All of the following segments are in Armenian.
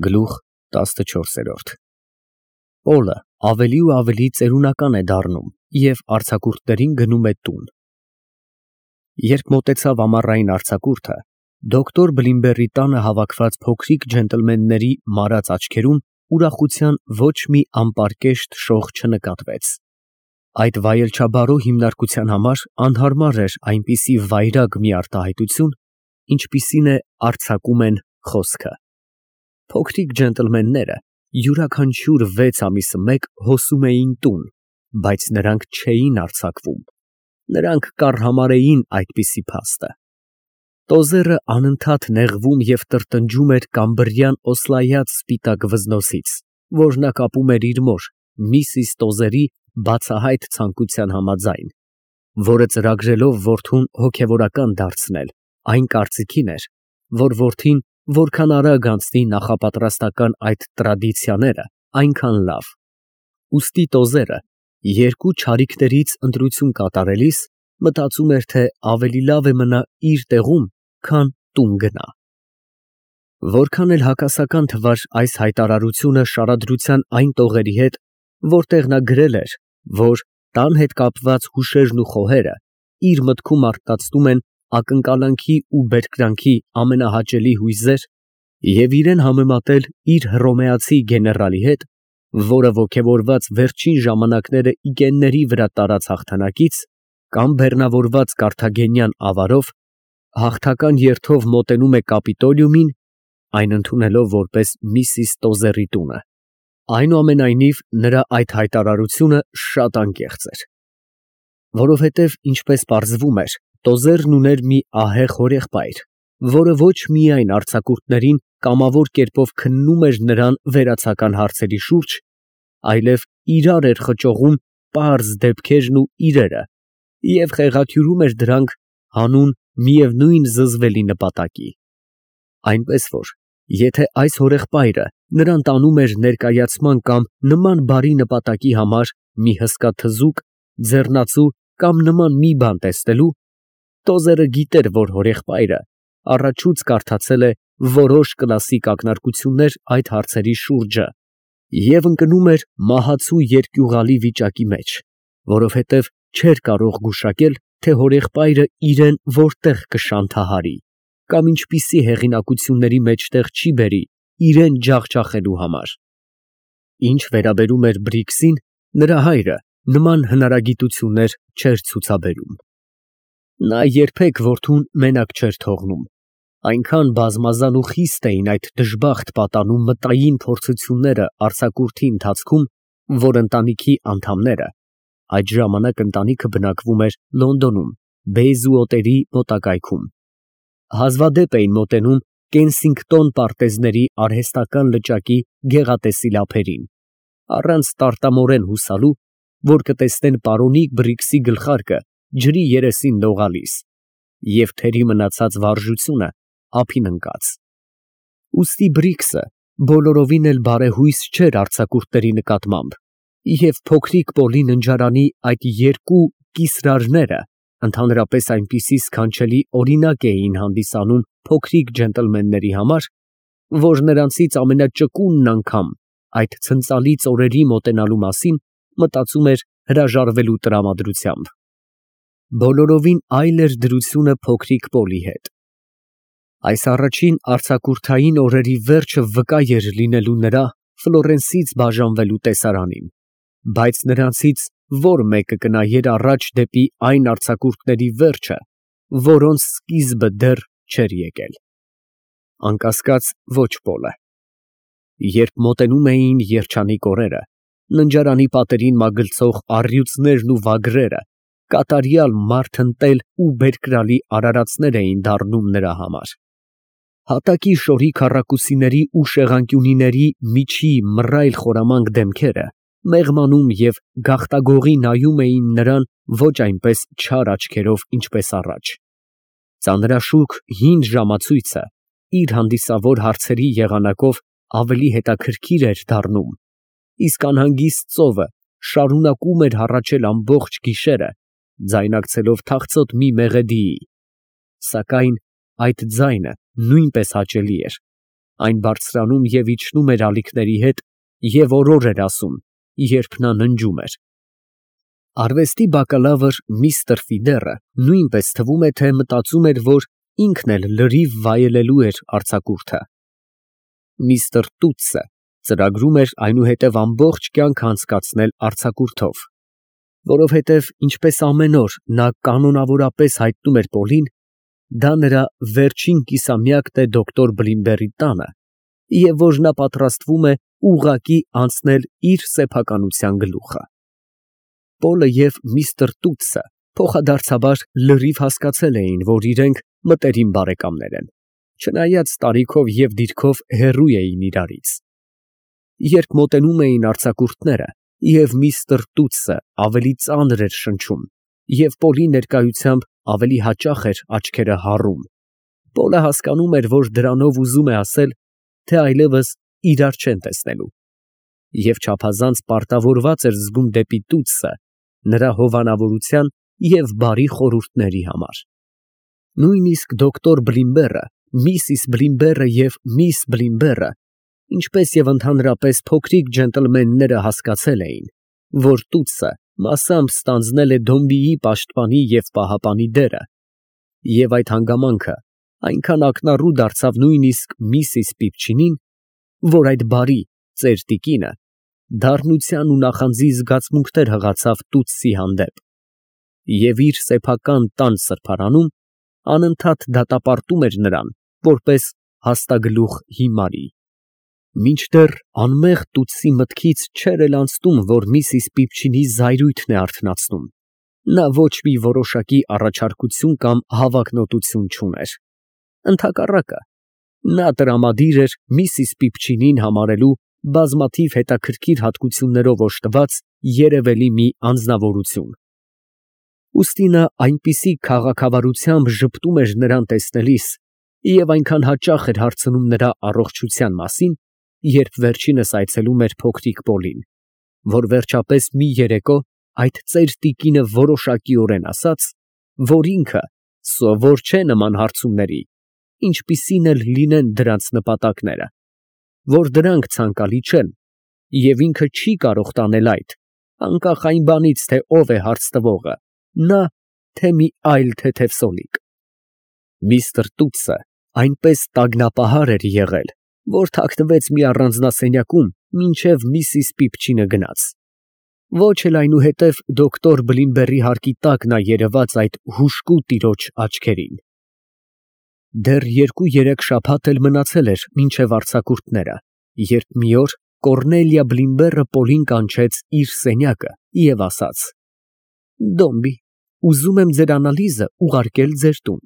Գլուխ 14 Պոլը ավելի ու ավելի ծերունական է դառնում և արձակուրդներին գնում է տուն։ Երբ մոտեցավ ամառային արձակուրդը, դոկտոր Բլիմբերի տանը հավաքված փոքրիկ ջենտլմենների մարած աչքերում ուրախության ոչ մի անպարկեշտ շող չնկատվեց։ Այդ վայելչաբարո հիմնարկության համար անհարմար էր այնպիսի վայրագ մի արտահայտություն, ինչպիսին է արձակում են խոսքը։ Փոքրիկ ջենտլմենները յուրաքանչյուր 6 ամիսը մեկ հոսում էին տուն, բայց նրանք չէին արձակվում, նրանք կառհամարհեին այդպիսի փաստը։ Տոզերը անընդհատ նեղվում և տրտնջում էր կամբրյան օսլայած սպիտակ վզնոցից, որ նա կապում էր իր մոր, միսիս Տոզերի բացահայտ ցանկության համաձայն, որը ծրագրելով որդուն հոգևորական դարձնել, այն կարծիքին էր, որ որդին որքան արագ անցնի նախապատրաստական այդ տրադիցիաները, այնքան լավ։ Ուստի Տոզերը երկու չարիքներից ընտրություն կատարելիս մտածում էր, թե ավելի լավ է մնա իր տեղում, քան տուն գնա։ Որքան էլ հակասական թվար այս հայտարարությունը շարադրության այն տողերի հետ, որտեղ նա գրել էր, որ տան հետ կապված հուշերն ու խոհերը իր մտքում արթնացնում են ակնկալանքի ու բերկրանքի ամենահաճելի հույզեր, և իրեն համեմատել իր հռոմեացի գեներալի հետ, որը ոգևորված վերջին ժամանակները իգենների վրա տարած հաղթանակից, կամ բեռնավորված կարթագենյան ավարով, հաղթական երթով մոտենում է Կապիտոլիումին, այն ընդունելով որպես միսիս Տոզերի տունը։ Այնուամենայնիվ, նրա այդ հայտարարությունը շատ անկեղծ էր, որովհետև, ինչպես պարզվում էր, Տոզերն ուներ մի ահեղ հորեղբայր, որը ոչ միայն արձակուրդներին կամավոր կերպով քննում էր նրան վերացական հարցերի շուրջ, այլև իրար էր խճողում պարզ դեպքերն ու իրերը և խեղաթյուրում էր դրանք հանուն միևնույն զզվելի նպատակի։ Այնպես որ, եթե այս հորեղբայրը նրան տանում էր ներկայացման կամ նման բարի նպատակի համար մի հսկա թզուկ, ձեռնածու կամ նման մի բան տեսնելու, Տոզերը գիտեր, որ հորեղբայրը առաջուց կարդացել է որոշ կլասիկ ակնարկություններ այդ հարցերի շուրջը և ընկնում էր մահացու երկյուղալի վիճակի մեջ, որովհետև չէր կարող գուշակել, թե հորեղբայրը իրեն որտեղ կշանթահարի կամ ինչպիսի հեղինակությունների մեջտեղ չի բերի իրեն ջախջախելու համար։ Ինչ վերաբերում էր Բրիքսին, նրա հայրը նման հնարագիտություններ չէր ցուցաբերում։ Նա երբեք որդուն մենակ չէր թողնում, այնքան բազմազան ու խիստ էին այդ դժբախտ պատանու մտային փորձությունները արձակուրդի ընթացքում, որ ընտանիքի անդամները (այդ ժամանակ ընտանիքը բնակվում էր Լոնդոնում, Բեյզուոտերի մոտակայքում) հազվադեպ էին մոտենում Կենսինգտոն պարտեզների արհեստական լճակի գեղատեսիլ ափերին, առանց տարտամորեն հուսալու, որ կտեսնեն պարոնիկ Բրիքսի գլխարկը ջրի երեսին լողալիս և թերի մնացած վարժությունը ափին ընկած։ Ուստի Բրիքսը բոլորովին էլ բարեհույս չէր արձակուրդների նկատմամբ, և փոքրիկ Պոլի ննջարանի այդ երկու կիսրարները ընդհանրապես այնպիսի սքանչելի օրինակ էին հանդիսանում փոքրիկ ջենտլմենների համար, որ նրանցից ամենաճկունն անգամ այդ ցնծալից օրերի մոտենալու մասին մտածում էր հրաժարվելու տրամադրությամբ։ Բոլորովին այլ էր դրությունը փոքրիկ Պոլի հետ։ Այս առաջին արձակուրդային օրերի վերջը վկա էր լինելու նրա Ֆլորենսից բաժանվելու տեսարանին, բայց նրանցից որ մեկը կնայեր առաջ դեպի այն արձակուրդների վերջը, որոնց սկիզբը դեռ չէր եկել։ Անկասկած, ոչ Պոլը։ Երբ մոտենում էին երջանիկ օրերը, ննջարանի պատերին մագլցող առյուծներն ու վագրերը կատարյալ մարթընտել ու բերկրալի արարածներ էին դառնում նրա համար։ Հատակի շորի քառակուսիների ու շեղանկյունիների միջի մռայլ խորամանկ դեմքերը մեղմանում և գաղտագողի նայում էին նրան ոչ այնպես չար աչքերով, ինչպես առաջ։ Ծանրաշուք հին ժամացույցը իր հանդիսավոր հարցերի եղանակով ավելի հետաքրքիր էր դառնում, իսկ անհանգիստ ծովը շարունակում էր հառաչել ամբողջ գիշերը, ձայնակցելով թախծոտ մի մեղեդիի, սակայն այդ ձայնը նույնպես հաճելի էր, այն բարձրանում և իջնում էր ալիքների հետ և օրոր էր ասում, երբ նա ննջում էր։ Արվեստի բակալավր միստր Ֆիդերը նույնպես թվում է, թե մտածում էր, որ ինքն էլ լրիվ վայելելու էր արձակուրդը։ Միստր Տուտսը ծրագրում էր այնուհետև ամբողջ կյանքը անցկացնել արձակուրդով, որովհետև ինչպես ամեն օր նա կանոնավորապես հայտնում էր Պոլին, դա նրա վերջին կիսամյակն է դոկտոր Բլիմբերի տանը, և որ նա պատրաստվում է ուղղակի անցնել իր սեփականության գլուխը։ Պոլը և միստր Տուտսը փոխադարձաբար լրիվ հասկացել էին, որ իրենք մտերիմ բարեկամներ են, չնայած տարիքով և դիրքով հեռու էին իրարից։ Երբ մոտենում էին արձակուրդները, և միստր Տուտսը ավելի ծանր էր շնչում, և Պոլի ներկայությամբ ավելի հաճախ էր աչքերը հառում, Պոլը հասկանում էր, որ դրանով ուզում է ասել, թե այլևս իրար չեն տեսնելու, և չափազանց պարտավորված էր զգում դեպի Տուտսը նրա հովանավորության և բարի խորհուրդների համար։ Նույնիսկ դոկտոր Բլիմբերը, միսիս Բլիմբերը և միս Բլիմբերը, ինչպես և ընդհանրապես փոքրիկ ջենտլմենները հասկացել էին, որ Տուտսը մասամբ ստանձնել է Դոմբիի պաշտպանի և պահապանի դերը, և այդ հանգամանքը այնքան ակնառու դարձավ նույնիսկ միսիս Պիպչինին, որ այդ բարի ծեր տիկինը դառնության ու նախանձի զգացմունքներ հղացավ Տուտսի հանդեպ և իր սեփական տան սրբարանում անընդհատ դատապարտում էր նրան որպես հաստագլուխ հիմարի, մինչդեռ անմեղ Տուտսի մտքից չէր էլ անցնում, որ միսիս Պիպչինի զայրույթն է արթնացնում, նա ոչ մի որոշակի առաջարկություն կամ հավակնոտություն չուներ, ընդհակառակը, նա տրամադիր էր միսիս Պիպչինին համարելու բազմաթիվ հետաքրքիր հատկություններով օժտված երևելի մի անձնավորություն։ Ուստի նա այնպիսի քաղաքավարությամբ ժպտում էր նրան տեսնելիս և այնքան հաճախ էր հարցնում նրա առողջության մասին, երբ վերջինս այցելում էր փոքրիկ Պոլին, որ վերջապես մի երեկո այդ ծեր տիկինը որոշակիորեն ասաց, որ ինքը սովոր չէ նման հարցումների, ինչպիսին էլ լինեն դրանց նպատակները, որ դրանք ցանկալի չեն, և ինքը չի կարող տանել այդ, անկախ այն բանից, թե ով է հարց տվողը, նա, թե մի այլ թեթև սոլիկ։ Միստր Տուտսը այնպես տագնապահար էր եղել, որ թաքնվեց մի առանձնասենյակում, մինչև միսիս Պիպչինը գնաց։ Ոչ էլ այնուհետև դոկտոր Բլիմբերի հարկի տակ նա երևաց այդ հուժկու տիրոջ աչքերին։ Դեռ 2-3 շաբաթ էլ մնացել էր մինչև արձակուրդները, երբ մի օր Կոռնելիա Բլիմբերը Պոլին կանչեց իր սենյակը և ասաց. «Դոմբի, ուզում եմ ձեր անալիզը ուղարկել ձեր տուն»։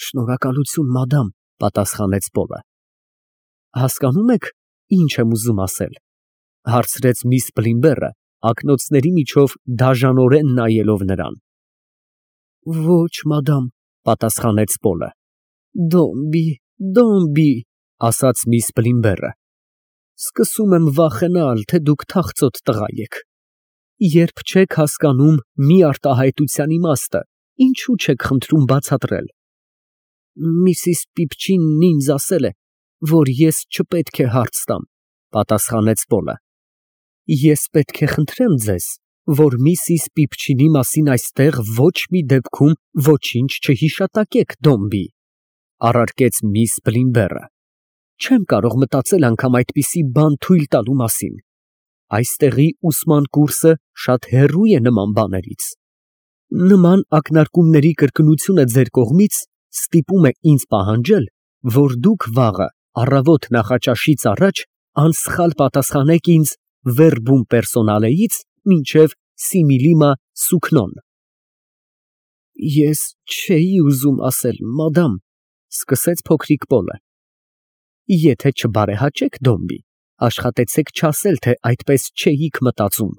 «Շնորհակալություն, մադամ», պատասխանեց Պոլը։ «Հասկանում եք, ինչ եմ ուզում ասել», հարցրեց միս Բլիմբերը, ակնոցների միջով դաժանորեն նայելով նրան։ «Ոչ, մադամ», պատասխանեց Պոլը։ «Դոմբի, Դոմբի», ասաց միս Բլիմբերը, «սկսում եմ վախենալ, թե դուք թախծոտ տղա եք։ Երբ չեք հասկանում մի արտահայտության իմաստը, ինչու չեք խնդրում բացատրել։ Միսիս Պիպչինն ինձ ասել է, որ ես չպետք է հարց տամ», պատասխանեց Պոլը։ «Ես պետք է խնդրեմ ձեզ, որ միսիս Պիպչինի մասին այստեղ ոչ մի դեպքում ոչինչ չհիշատակեք, Դոմբի», առարկեց միս Բլիմբերը։ «Չեմ կարող մտածել անգամ այդպիսի բան թույլ տալու մասին։ Այստեղի ուսման կուրսը շատ հեռու է նման բաներից։ Նման ակնարկումների կրկնությունը ձեր կողմից ստիպում է ինձ պահանջել, որ դուք վաղը առավոտ նախաճաշից առաջ անսխալ պատասխանեք ինձ վերբում պերսոնալեից մինչև սիմիլիմա սուքնոն»։ «Ես չէի ուզում ասել, մադամ», սկսեց փոքրիկ Պոլը։ «Եթե չբարեհաճեք, Դոմբի, աշխատեցեք չասել, թե այդպես չէիք մտածում»,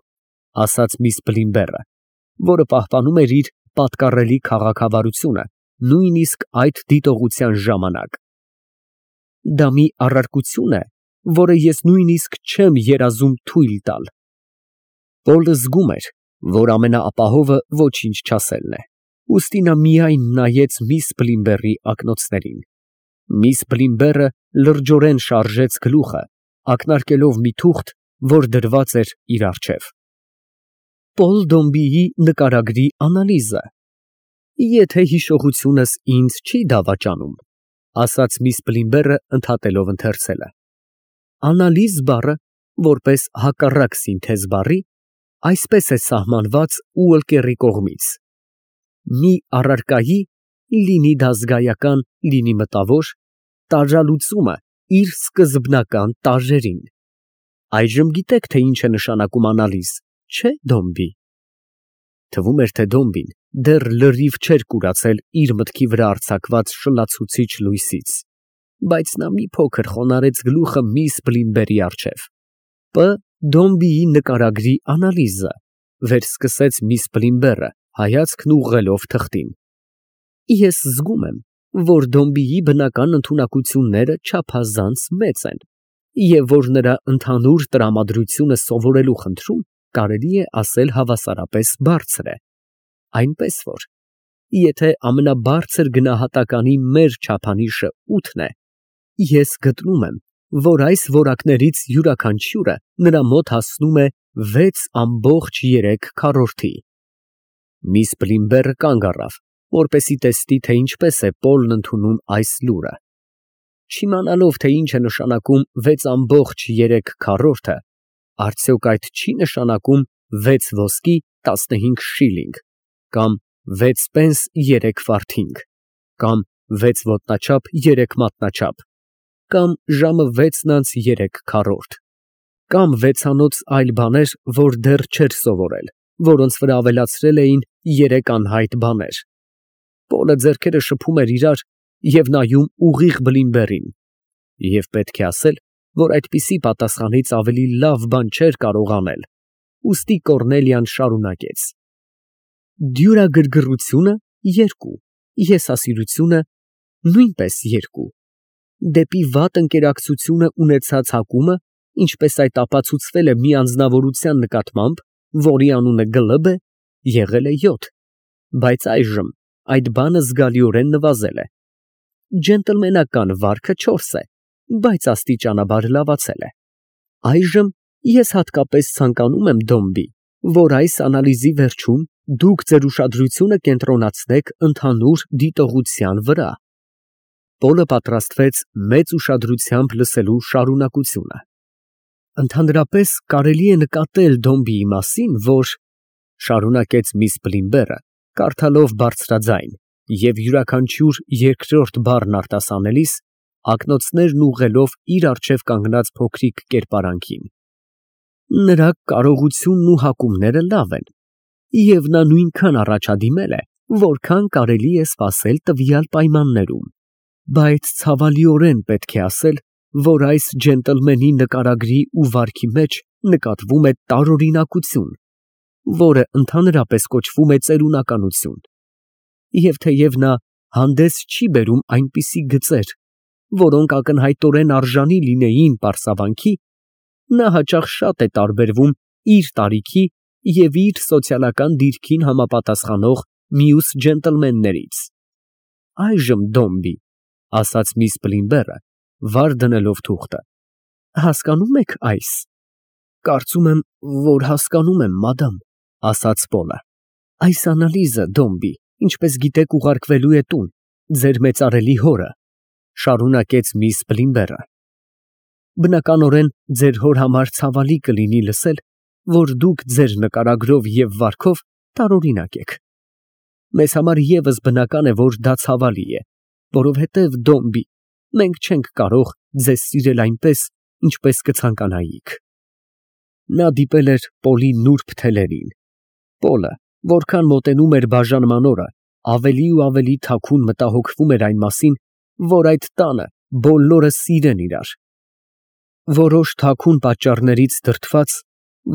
ասաց միս Բլիմբերը, որը պահպանում էր իր պատկառելի քաղաքավարությունը նույնիսկ այդ դիտողության ժամանակ։ «Դա մի առարկություն է, որը ես նույնիսկ չեմ երազում թույլ տալ»։ Պոլը զգում էր, որ ամենաապահովը ոչինչ չասելն է, ուստի նա միայն նայեց միս Բլիմբերի ակնոցներին։ Միս Բլիմբերը լրջորեն շարժեց գլուխը, ակնարկելով մի թուղթ, որ դրված էր իր առջև։ Պոլ Դոմբիի նկարագրի անալիզը։ Եթե հիշողությունս ինձ չի դավաճանում, ասաց միս Բլիմբերը ընդհատելով ընթերցելը։ Անալիզ բառը, որպես հակառակ սինթեզ բառի, այսպես է սահմանված Ուոլկերի կողմից. մի առարկայի, լինի դա զգայական, լինի մտավոր, տարրալուծումը իր սկզբնական տարրերին։ Այժմ գիտեք, թե ինչ է նշանակում անալիզ, չէ՞ Դոմբի։ Թվում էր, թե Դոմբին դեռ լրիվ չէր կուրացել իր մտքի վրա արձակված շլացուցիչ լույսից, բայց նա մի փոքր խոնարհեց գլուխը միս Բլիմբերի առջև։ Պ. Դոմբիի նկարագրի անալիզը, վերսկսեց միս Բլիմբերը, հայացքն ուղղելով թղթին։ Ես զգում եմ, որ Դոմբիի բնական ընդունակությունները չափազանց մեծ են, և որ նրա ընդհանուր տրամադրությունը սովորելու խնդրում կարելի է ասել հավասարապես բարձր է, այնպես որ, եթե ամենաբարձր գնահատականի մեր չափանիշը 8-ն է, ես գտնում եմ, որ այս որակներից յուրաքանչյուրը նրա մոտ հասնում է 6,3 Միս Բլիմբերը կանգ առավ, որպեսզի տեսնի, թե ինչպես է Պոլն ընդունում այս լուրը։ Չիմանալով, թե ինչ է նշանակում 6,3, արդյոք այդ չի նշանակում 6 ոսկի 15 շիլինգ, կամ 6 պենս 3 ֆարթինգ, կամ 6 ոտնաչափ 3 մատնաչափ, կամ ժամը 6:03, կամ 6-անոց այլ բաներ, որ դեռ չէր սովորել, որոնց վրա ավելացրել էին 3 անհայտ բաներ։ Պոլը ձեռքերը շփում էր իրար և նայում ուղիղ Բլիմբերին, և պետք է ասել, որ այդպիսի պատասխանից ավելի լավ բան չէր կարող անել, ուստի Կոռնելիան շարունակեց. Դյուրագրգռությունը 2, եսասիրությունը նույնպես 2, դեպի վատ ընկերակցությունը ունեցած հակումը, ինչպես այդ ապացուցվել է մի անձնավորության նկատմամբ, որի անունը Գլբ է, եղել է 7, բայց այժմ այդ բանը զգալիորեն նվազել է։ Ջենտլմենական վարքը 4 է, բայց աստիճանաբար լավացել է։ Այժմ ես հատկապես ցանկանում եմ, Դոմբի, որ այս անալիզի վերջում դուք ձեր ուշադրությունը կենտրոնացնեք ընդհանուր դիտողության վրա։ Պոլը պատրաստվեց մեծ ուշադրությամբ լսելու շարունակությունը։ Ընդհանրապես կարելի է նկատել Դոմբիի մասին, որ շարունակեց միս Բլիմբերը, կարդալով բարձրաձայն և յուրաքանչյուր երկրորդ բառն արտասանելիս ակնոցներն ուղղելով իր առջև կանգնած փոքրիկ կերպարանքին։ Նրա կարողությունն ու հակումները լավ են, և նա նույնքան առաջադիմել է, որքան կարելի է սպասել տվյալ պայմաններում, բայց ցավալիորեն պետք է ասել, որ այս ջենտլմենի նկարագրի ու վարքի մեջ նկատվում է տարօրինակություն, որը ընդհանրապես կոչվում է ծերունականություն, և թեև նա հանդես չի բերում այնպիսի գծեր, որոնք ակնհայտորեն արժանի լինեին պարսավանքի, նա հաճախ շատ է տարբերվում իր տարիքի և իր սոցիալական դիրքին համապատասխանող մյուս ջենտլմեններից։ Այժմ, Դոմբի, ասաց միս Բլիմբերը, վար դնելով թուղթը, հասկանո՞ւմ եք այս։ Կարծում եմ, որ հասկանում եմ, մադամ, ասաց Պոլը։ Այս անալիզը, Դոմբի, ինչպես գիտեք, ուղարկվելու է տուն, ձեր մեծարելի հորը, շարունակեց միս Բլիմբերը։ Բնականորեն ձեր հոր համար ցավալի կլինի լսել, որ դուք ձեր նկարագրով և վարքով տարօրինակ եք։ Մեզ համար ևս բնական է, որ դա ցավալի է, որովհետև, Դոմբի, մենք չենք կարող ձեզ սիրել այնպես, ինչպես կցանկանայիք։ Նա դիպել էր Պոլի նուրբ թելերին։ Պոլը, որքան մոտենում էր բաժանման օրը, ավելի ու ավելի թաքուն մտահոգվում էր այն մասին, որ այդ տանը բոլորը սիրեն իրար։ Որոշ թաքուն պատճառներից դրդված,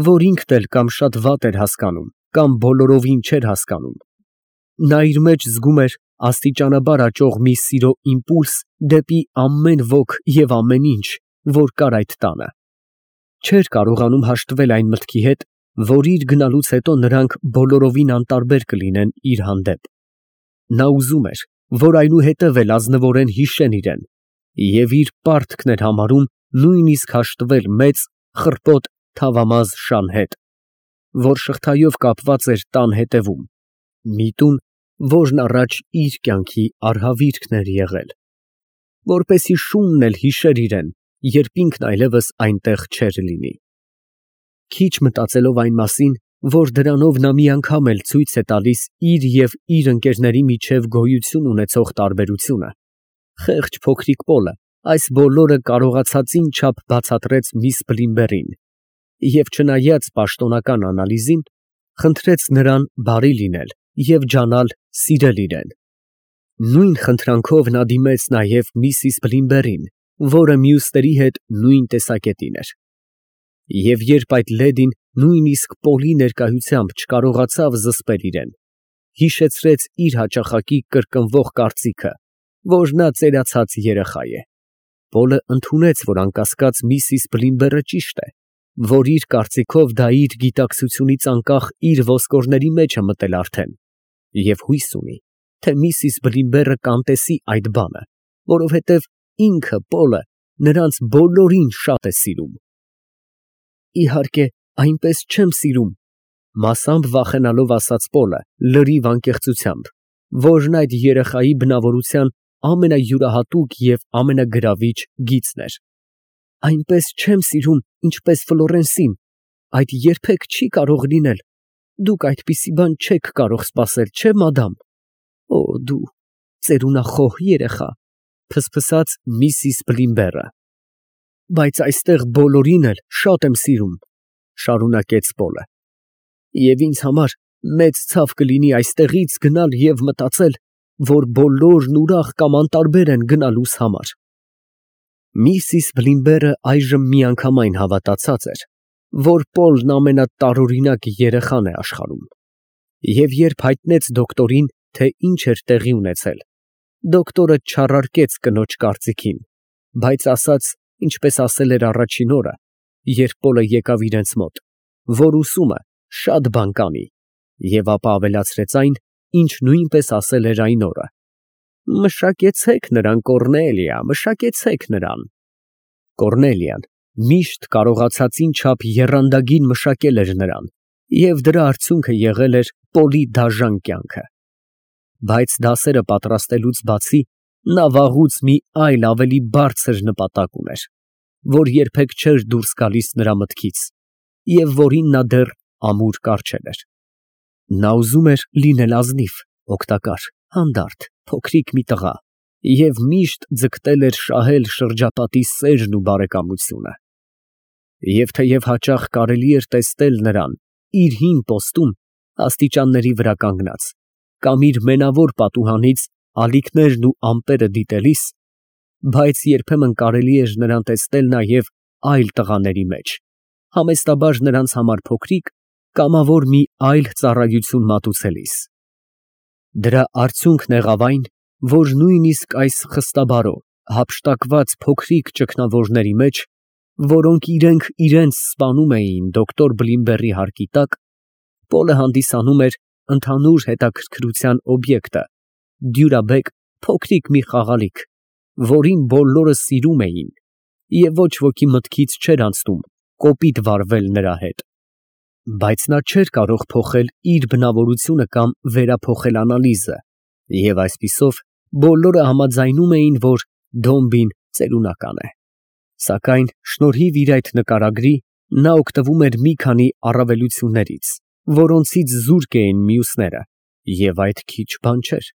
որ ինքն էլ կամ շատ վատ էր հասկանում, կամ բոլորովին չէր հասկանում, նա իր մեջ զգում էր աստիճանաբար աճող մի սիրո իմպուլս դեպի ամեն ոք և ամեն ինչ, որ կար այդ տանը։ Չէր կարողանում հաշտվել այն մտքի հետ, որ իր գնալուց հետո նրանք բոլորովին անտարբեր կլինեն իր հանդեպ։ Նա ուզում էր, որ այնուհետև էլ ազնվորեն հիշեն իրեն, Եվ իր պարտքն էր համարում նույնիսկ հաշտվել մեծ, խռպոտ թավամազ շան հետ, որ շղթայով կապված էր տան հետևում, մի տուն, որն առաջ իր կյանքի արհավիրքն էր եղել, որպեսի շունն էլ հիշեր իրեն, երբ ինքն այլևս այնտեղ չէր լինի։ Քիչ մտածելով այն մասին, որ դրանով նա մի անգամ էլ ցույց է տալիս իր և իր ընկերների միջև գոյություն ունեցող տարբերությունը, խեղճ փոքրիկ Պոլը այս բոլորը կարողացածին չափ բացատրեց միս Բլիմբերին և չնայած պաշտոնական անալիզին, խնդրեց նրան բարի լինել և ջանալ սիրել իրեն։ Նույն խնդրանքով նա դիմեց նաև միսիս Բլիմբերին, որը մյուսների հետ նույն տեսակետին էր։ Եվ երբ այդ լեդին նույնիսկ Պոլի ներկայությամբ չկարողացավ զսպել իրեն, հիշեցրեց իր հաճախակի կրկնվող կարծիքը, որ նա ծերացած երեխա է, Պոլը ընդունեց, որ անկասկած միսիս Բլիմբերը ճիշտ է, որ իր կարծիքով դա իր գիտակցությունից անկախ իր ոսկորների մեջ է մտել արդեն, և հույս ունի, թե միսիս Բլիմբերը կանտեսի այդ բանը, որովհետև ինքը Պոլը նրանց բոլորին շատ է սիրում։ Իհարկե, այնպես չեմ սիրում, մասամբ վախենալով ասաց Պոլը լրիվ անկեղծությամբ, որն այդ երեխայի բնավորության ամենայուրահատուկ և ամենագրավիչ գիծն էր։ Այնպես չեմ սիրում, ինչպես Ֆլորենսին, այդ երբեք չի կարող լինել, դուք այդպիսի բան չեք կարող սպասել, չէ՞ մադամ։ Օ, դու ծերունախոհ երեխա, փսփսաց միսիս Բլիմբերը։ Բայց այստեղ բոլորին էլ շատ եմ սիրում, շարունակեց Պոլը, և ինձ համար մեծ ցավ կլինի այստեղից գնալ և մտածել, որ բոլորն ուրախ կամ անտարբեր են գնալուս համար։ Միսիս Բլիմբերը այժմ միանգամայն հավատացած էր, որ Պոլն ամենատարօրինակ երեխան է աշխարհում, և երբ հայտնեց դոկտորին, թե ինչ էր տեղի ունեցել, դոկտորը չառարկեց կնոջ կարծիքին, բայց ասաց, ինչպես ասել էր առաջին օրը, երբ Պոլը եկավ իրենց մոտ, որ ուսում է շատ բան կանի, և ապա ավելացրեց այն, ինչ նույնպես ասել էր այն օրը. «Մշակեցեք նրան, Կոռնելիա, մշակեցեք նրան»։ Կոռնելիան միշտ կարողացածին չափ եռանդագին մշակել էր նրան, և դրա արդյունքը եղել էր Պոլի դաժան կյանքը։ Բայց դասերը պատրաստելուց բացի, նա վաղուց մի այլ ավելի բարձր նպատակ ուներ, որ երբեք չէր դուրս գալիս նրա մտքից, և որին նա դեռ ամուր կառչել էր։ Նա ուզում էր լինել ազնիվ, օգտակար, հանդարտ, փոքրիկ մի տղա և միշտ ձգտել էր շահել շրջապատի սերն ու բարեկամությունը։ Եվ թեև հաճախ կարելի էր տեսնել նրան իր հին պոստում աստիճանների վրա կանգնած, կամ իր մենավոր պատուհանից ալիքներն ու ամպերը դիտելիս, բայց երբեմն կարելի էր նրան տեսնել նաև այլ տղաների մեջ, համեստաբար նրանց համար փոքրիկ, կամավոր մի այլ ծառայություն մատուցելիս։ Դրա արդյունքն եղավ այն, որ նույնիսկ այս խստաբարո, հափշտակված փոքրիկ ճգնավորների մեջ, որոնք իրենք իրենց սպանում էին դոկտոր Բլիմբերի հարկի տակ, Պոլը հանդիսանում էր ընդհանուր հետաքրքրության օբյեկտը, դյուրաբեկ փոքրիկ մի խաղալիք, որին բոլորը սիրում էին, և ոչ ոքի մտքից չէր անցնում կոպիտ վարվել նրա հետ։ Բայց նա չէր կարող փոխել իր բնավորությունը կամ վերափոխել անալիզը, և այսպիսով բոլորը համաձայնում էին, որ Դոմբին ծերունական է։ Սակայն շնորհիվ իր այդ նկարագրի, նա օգտվում էր մի քանի առավելություններից, որոնցից զուրկ էին մյուսները, և այդ քիչ բան չէր։